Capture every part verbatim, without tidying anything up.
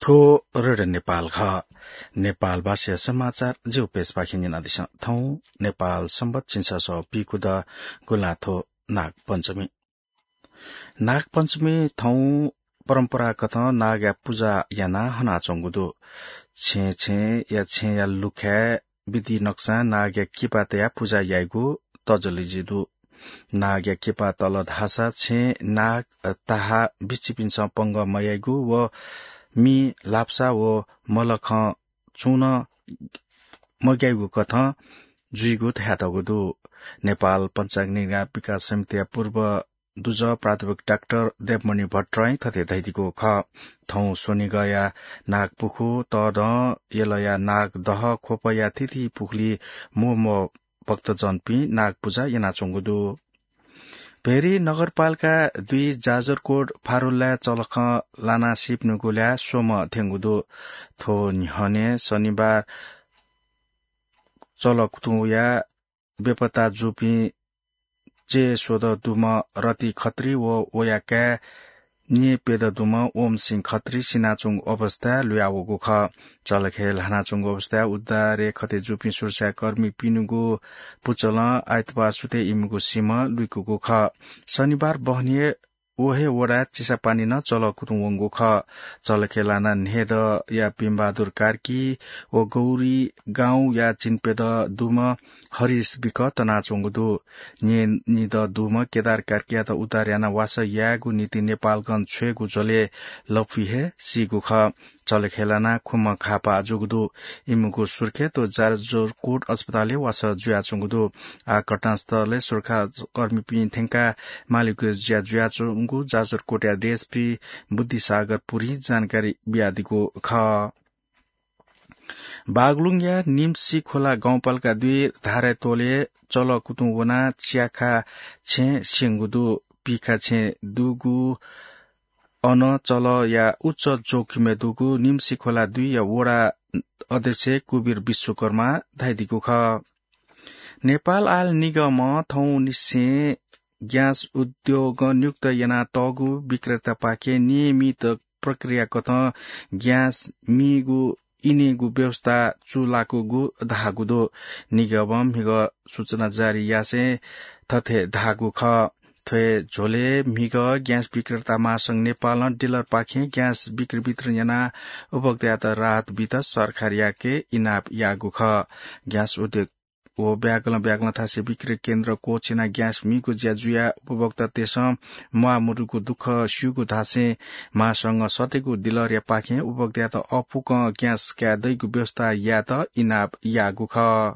थ्व रेडियो नेपाल खः। नेपाल भाषाया समाचार ज्यू पेजपाखें न्यनादिसँ। थौं नेपाल संवत् झिंछसः पीकूदँ गुँलाथ्व नागपञ्चमी। नागपञ्चमी थौं परम्परागतं नागया पुजा यानाः हनाच्वंगु दु। छेँ छेँया छेँया लुखाय् विधि नकसां नागया किपा तयाः पुजा याइगु तजलिजि दु। नागया किपा तल धाःसा छेँ नाग, ताहा बिच्चिपिन्सं पंगः मयाइगु व मि, लाप्सा व मलखं छुं नं मग्याइगु कथं जुइगु धयातःगु दु। नेपाल पञ्चाङ्ग निगरानी विकास समितिया पूर्व दुजः प्राध्यापक डाक्टर देवमणि भट्टराईं थथे धयादीगु खः। थौं स्वनिगःया नागपुखू, तःदँ, यलया नागदह, ख्वपया थीथी पुखुली मू मू भक्तजनपिं नागपुजा यानाच्वंगु दु। भेरी नगरपालिका दुई जाजरकोट फारुल्लाय् चलखं लानाः सीपिनिगु ल्याः स्वम्ह थ्यंगु दु। थ्व न्ह्यःने शनिबार चलकुतुंया बेपत्ता जूपिं चय् स्वदँ दुम्ह रति खत्री व वया काय् न्येप्यदँ दुम्ह ओमसिंह खत्री सिनाच्वंगु अवस्थाय् लुयावःगु खः। चलखय् ल्हानाच्वंगु अवस्थाय् उद्धारय् खते जूपिं सुरक्षाकर्मीपिनिगु पुचलं आइतबार सुथय् इमिगु सिमा लुइकूगु खः। शनिबार बहनी हे व हे वडाय् चिसापानी नं चलकुतुं वंगु खः। चलखय् लानाः न्हय्दँया भीमबहादुर कार्की व गौरी गाउँया चिन्प्यदँ दुम्ह हरिश बिक तनाच्वंगु दु। न्येनिदँ दुम्ह केदार कार्कीयात उद्धार यानाः वासः यायेगु निंतिं नेपालगंज छ्वयेगु झ्वलय् लँपुइ हे सीगु खः। चलखय् लानाः खुम्ह घाःपाः जूगु दु। इमिगु सुर्खेत व जाजरकोट अस्पतालय् वासः जुयाच्वंगु दु। आः घटनास्थलय् सुरक्षाकर्मीपिं थ्यंकाः मालीगु ज्या जुयाच्वंगु जाजरकोटया डिएसपी बुद्धिसागर पुरीं जानकारी बियादीगु खः। बागलुङया निम्सी खोला गाउँपालिका दुई धारातोलय् चलकुतुं वनाः च्याखा छेँ स्यंगु दु। पीखा छेँ दुगु अन चलया उच्च जोखिमय् दुगु निम्सी खोला दुईया वडा अध्यक्ष कुबीर विश्वकर्मां धयादीगु खः। नेपाल आयल निगमं थौंनिसें ग्यास उद्योगं नियुक्त यानातःगु विक्रेतापाखें नियमित प्रक्रियाकथं ग्यास मीगु इनेगु व्यवस्था चूलाकूगु धाःगु दु। निगमं म्हिगः सूचना जारी यासें थथे धाःगु खः। थ्व हे झ्वलय् म्हिगः ग्यास विक्रेता महासंघ नेपालं डिलरपाखें ग्यास बिक्री वितरण यानाः उपभोक्तायात राहत बीत सरकारयाके इनाप याःगु खः। ग्यास उद्योग व ब्यागलं ब्यागलं थासय् बिक्री केन्द्र क्वःछिनाः ग्यास मीगु ज्या जुयाः उपभोक्तातय्सं म्वाःमदुगु दुःख स्यूगु धासें महासंघं सत्तैगु डिलरयापाखें उपभोक्तायात अःपुकं ग्यास काये दइगु व्यवस्था यायेत इनाप याःगु खः।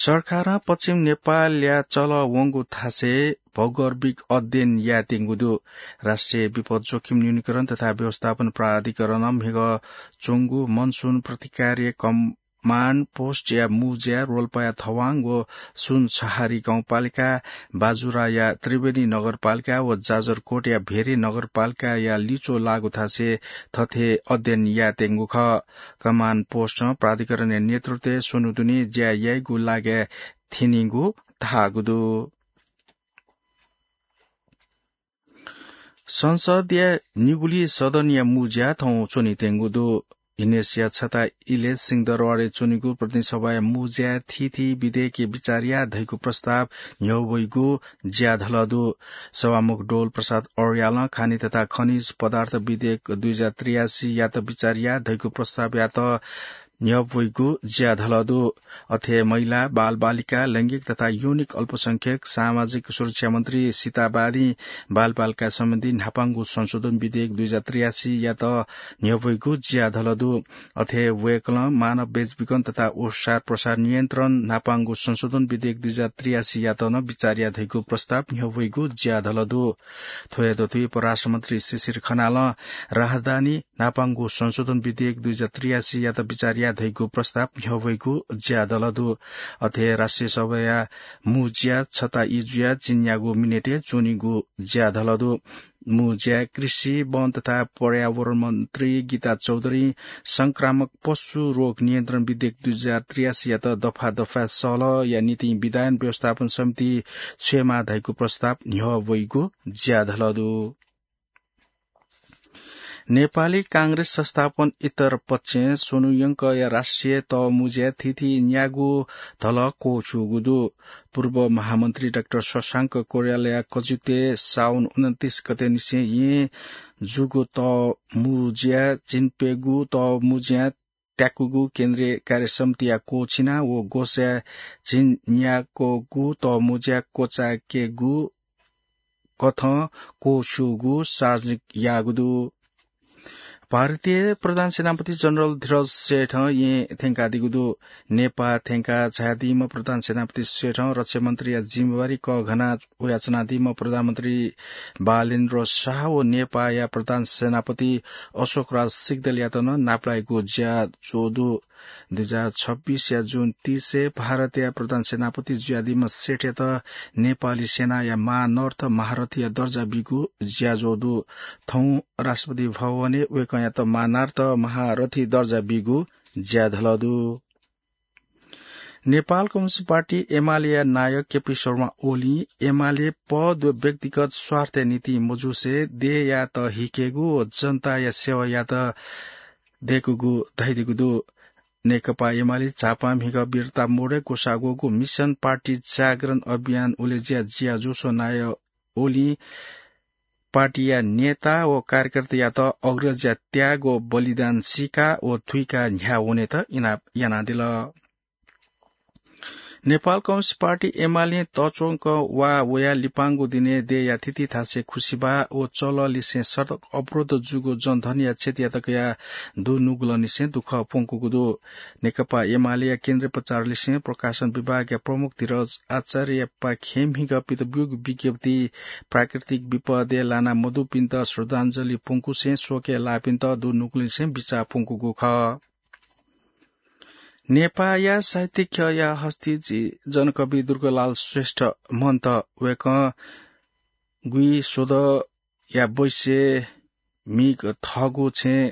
सरकारं पश्चिम नेपालया चलः वंगु थासय् भौगर्भिक अध्ययन यायेत्यंगु दु। राष्ट्रिय विपद जोखिम न्यूनीकरण तथा व्यवस्थापन प्राधिकरणं म्हिगः च्वंगु मनसुन प्रतिकार्य कमाण्ड पोस्टया मू ज्या रोल्पाया थवाङ व सुनसहारी गाउँपालिका, बाजुराया त्रिवेणी नगरपालिका व जाजरकोटया भेरे नगरपालिकाया लिच्वः लाःगु थासय् थथे अध्ययन यायेत्यंगु खः। कमाण्ड पोस्टं प्राधिकरणया नेतृत्वय् स्वन्हु दुने ज्या याइगु लागाय् थ्यनीगु धाःगु दु। संसदया निगुलिं सदनया मू ज्या थौं च्वनेत्यंगु दु। हिनेसिया छता इलय् सिंहदरबारय् च्वनीगु प्रतिनिधि सभाया मू ज्याय् थीथी विधेयकय् बिचाः याये धइगु प्रस्ताव न्ह्यः वइगु ज्याधलः दु। सभामुख डोल प्रसाद अर्यालं खानी तथा खनिज पदार्थ विधेयक दुई हजार त्रियासी यात बिचाः याये धइगु प्रस्तावयात न्ह्यः वइगु ज्याधलः दु। अथे महिला, बालबालिका, लैंगिक तथा यौनिक अल्पसंख्यक सामाजिक सुरक्षा मन्त्री सीता बादीं बालबालिका सम्बन्धी न्हापांगु संशोधन विधेयक दुई हजार त्रियासी यात न्ह्यः वइगु ज्याधलः दु। अथे वय्कलं मानव बेचबिखन तथा ओसार प्रसार नियन्त्रण न्हापांगु संशोधन विधेयक दुई हजार त्रियासी यात नं बिचाः याये धइगु प्रस्ताव न्ह्यः वइगु ज्याधलः दु। थ्व हे दथुइ परराष्ट्र मन्त्री शिशिर खनालं राहदानी न्हापांगु संशोधन विधेयक दुई हजार त्रियासी यात बिचाः याये धइगु प्रस्ताव न्ह्यः वइगु ज्याधलः दु। अथे राष्ट्रिय सभाया मू ज्या छता ई जुयाः चिन्यागू मिनेटय् च्वनीगु ज्याधलः दु। मू ज्याय् कृषि, वन तथा पर्यावरण मन्त्री गीता चौधरीं संक्रामक पशु रोग नियन्त्रण विधेयक दुई हजार त्रियासी यात दफा दफाय् सहलहया निंतिं विधायन व्यवस्थापन समिति छ्वयेमाः धइगु प्रस्ताव न्ह्यः वइगु ज्याधलः दु। नेपाली कांग्रेस संस्थापन इत्तर पक्षं स्वन्हु यंकया राष्ट्रिय तःमुँज्या थीथी न्यागू धलः क्वछुगु दु। पूर्व महामन्त्री डाक्टर शशांक कोइरालाया कजुते साउन उनन्तीस गते निसें येँ जूगु तःमुँज्या झिंप्यंगू तःमुँज्या त्याकूगु केन्द्रीय कार्य समितिया क्वछिना व ग्वसाय् झिंन्याक्वगू तःमुँज्या क्वचायेकेगु कथं क्वछुगु सार्वजनिक याःगु दु। भारतीय प्रधान सेनापति जनरल धीरज सेठं येँ थ्यंकादीगु दु। नेपाः थ्यंका झायादीम्ह प्रधान सेनापति सेठं रक्षा मन्त्रीया जिम्मेवारी कःघाना वयाच्वनादीम्ह प्रधानमन्त्री बालेन्द्र शाह व नेपाःया प्रधान सेनापति अशोकराज सिग्देलयात नं नापलायेगु ज्याझ्वः दु। दुई हजार छब्बीसया जुन तीसय् भारतया प्रधान सेनापति जुयादीम्ह सेठयात नेपाली सेनाया महानर्थ महारथीया दर्जा बीगु ज्याझ्वः दु। थौं राष्ट्रपति भवनय् वय्कःयात महानर्थ महारथी दर्जा बीगु ज्याझ्वः दु। नेपाल कम्युनिस्ट पार्टी एमालेया नायक केपी शर्मा ओलीं एमाले पद व व्यक्तिगत स्वार्थया निंतिं मजुसे देय्‌यात हिकेगु व जनताया सेवायात दयेकूगु धयादीगु दु। नेकपा एमाले झापा म्हिगः बिर्ता मोडय् ग्वसाः ग्वःगु मिसन पार्टी जागरण अभियान उलेज्या ज्याझ्वलय् नायः ओलीं पार्टीया नेता व कार्यकर्तायात अग्रजया त्याग व बलिदान सीका व थुइका न्ह्याः वनेत इनाप यानादिल। नेपाल कम्युनिस्ट पार्टी एमालें तःच्वंक वा वया लिपांगु दिनय् देय्‌या थीथी थासय् खुसिबाः व चलःलिसें सडक अवरोध जूगु जनधनया क्षतियात कयाः दुनुगलंनिसें दुःख प्वंकूगु दु। नेकपा एमालेया केन्द्रीय प्रचारलिसें प्रकाशन विभागया प्रमुख धीरज आचार्यपाखें म्हिगः पित ब्यूगु विज्ञप्ति प्राकृतिक विपदय् लाना मदुपिन्त श्रद्धाञ्जली प्वंकुसें शोकय् लाःपिन्त दुनुगलंनिसें बिचाः प्वंकूगु खः। नेपाःया साहित्यिक ख्यःया हस्ती जि जनकवि दुर्गालाल श्रेष्ठ मन्त। वय्कः गुइस्वदँया बैसय् म्हिगः थःगु छेँ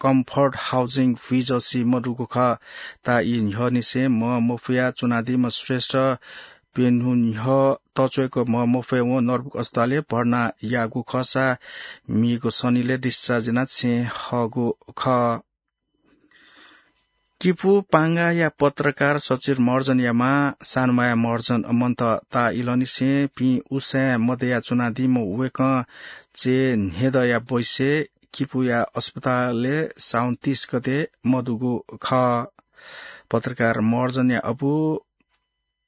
कम्फर्ट हाउसिङ भुइँझसी मदुगु खः। ताःई न्ह्यःनिसें म्ह मफया च्वनादीम्ह श्रेष्ठ प्यन्हु न्ह्यः तःच्वय्क म्ह मफयेवं नर्बुक अस्पतालय् भर्ना याःगु खःसा म्हिगः शनिलय् discharge यानाः छेँ हःगु खः। किपू पांगाया पत्रकार सचिर महर्जनया मां सानुमाया महर्जन मन्त। ताः इलंनिसें पिं उसाँय् मदया च्वनादीम्ह वय्कः चय् न्हेदँया बैसय् किपूया अस्पतालय् साउन तीस गते मदुगु खः। पत्रकार महर्जनया अबु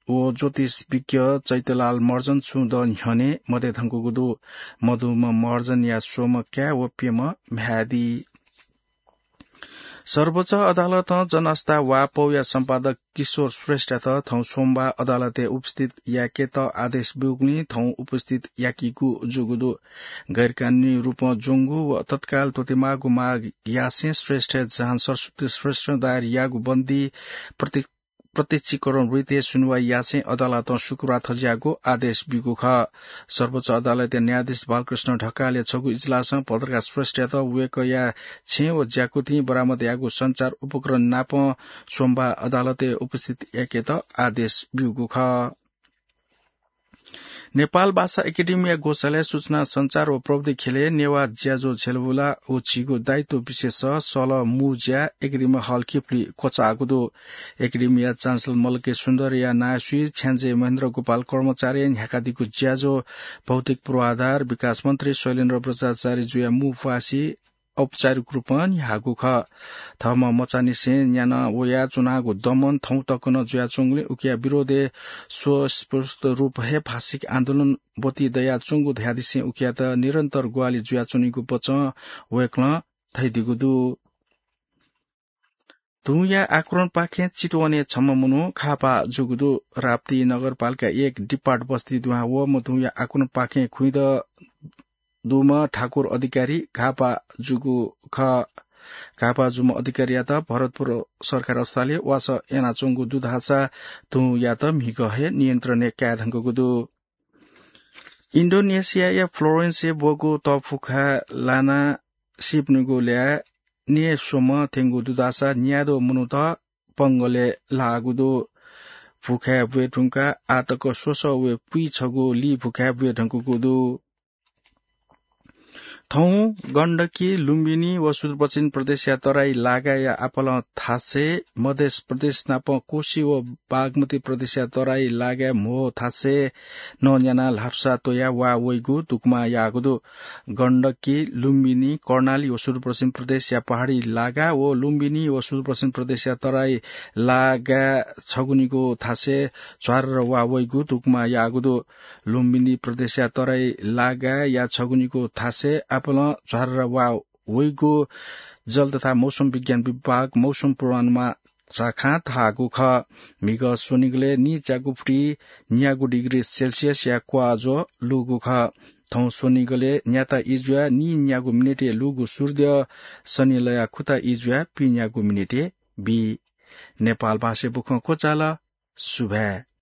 व ज्योतिष विज्ञ चैत्यलाल महर्जन छुं दँ न्ह्यःने मदये धुंकूगु दु। मदुम्ह महर्जनया स्वम्ह काय् व प्यम्ह म्ह्याय् दी। सर्वोच्च अदालतं जनअस्था वाःपौया सम्पादक किशोर श्रेष्ठयात थौं सोमबार अदालतय् उपस्थित याकेत आदेश ब्यूगुलिं थौं उपस्थित याकीगु जूगु दु। गैरकानूनी रूपं ज्वंगु व तत्काल त्वःतेमाःगु माग यासें श्रेष्ठया जहान सरस्वती श्रेष्ठं दायर याःगु बन्दी प्रति-, प्रत्यक्षीकरण वृत्तय् सुनुवाइ यासें अदालतं शुक्रबार थज्याःगु आदेश ब्यूगु खः। सर्वोच्च अदालतया न्यायाधीश बालकृष्ण ढकालया छगू इजलासं पत्रकार श्रेष्ठयात वय्कःया छेँ व ज्याकुथिं बरामद याःगु सञ्चार उपकरण नापं सोमबार अदालतय् उपस्थित याकेत आदेश ब्यूगु खः। नेपाल भाषा एकेडेमीया ग्वसालय् सूचना सञ्चार व प्रविधि ख्यलय् नेवाः ज्याझ्वः झ्यलबुला व झीगु दायित्व विशेष सलः मुँज्या एकेडेमी हल किपुली क्वचाःगु दु। एकेडेमीया चान्सलर मल्लके सुन्दरया नायःसुइ छ्याञ्जे महेन्द्र गोपाल कर्माचार्यं न्ह्याकादीगु ज्याझ्वः भौतिक पूर्वाधार विकास मन्त्री शैलेन्द्र बज्राचार्य जुया मू प्वासि औपचारिक रूपं न्ह्याःगु खः। थःम्हं मचांनिसें न्याना वयाच्वनागु दमन थौं तक नं जुयाच्वंगुलिं उकिया विरोधय् स्वस्फूर्त रूपं हे भाषिक आन्दोलन ब्वति दयाच्वंगु धयादिसें उकियात निरन्तर ग्वाहालि जुयाच्वनीगु बचं वय्कलं धयादीगु दु। धुंया आक्रमणपाखें चितवनय् छम्ह मनू घाःपाः जूगु दु। राप्ती नगरपालिका एक डिपार्ट बस्ती दुहां वःम्ह धुंया आक्रमणपाखें खुइँदँ दुम्ह ठाकुर अधिकारी घाःपाः जूगु खः। घाःपाः जूम्ह अधिकारीयात भरतपुर सरकारी अस्पतालय् वासः यानाच्वंगु दु धाःसा धुंयात म्हिगः हे नियन्त्रणय् काये धुंकूगु दु। इन्डोनेसियाया फ्लोरेन्सय् ब्वःगु तःफुखाय् लानाः सीपिनिगु ल्याः न्यय् स्वम्ह थ्यंगु दु धाःसा न्याद्वः मनूत पंगलय् लाःगु दु। फुखाय् ब्वये धुंकाः आः तक स्वसः व पुइछगू ली फुखाय् ब्वये धुंकूगु दु। थौं गण्डकी, लुम्बिनी व सुदूरपश्चिम प्रदेशया तराई लागाया आपालं थासय्, मधेस प्रदेश नाप कोशी व बागमती प्रदेशया तराई लागाय् म्हो थासय् नं न्यानाः ल्हापसा त्वयाः वा वइगु दुकमा याःगु दु। गण्डकी, लुम्बिनी, कर्णाली व सुदूरपश्चिम प्रदेशया पहाडी लागा व लुम्बिनी व सुदूरपश्चिम प्रदेशया तराई लागाय् छगुनिगु थासय् झ्वारर वा वइगु दुकमा याःगु दु। लुम्बिनी प्रदेशया तराई लागाया छगुनिगु थासय् आपालं झ्वारर वा वइगु जल तथा मौसम विज्ञान विभाग मौसम पूर्वानुमान शाखां धाःगु खः। म्हिगः स्वनिगलय् नीच्यागु फुति न्यागू डिग्री सेल्सियसया क्वाःज्वः लूगु खः। थौं स्वनिगलय् न्याता इजुया नीन्यागू मिनेटय् लूगु सूर्य शनिलया खुता इजुया पीन्यागू मिनेटय् बी। नेपाल भाषाय् बुखँ क्वचाल। सुभाय्।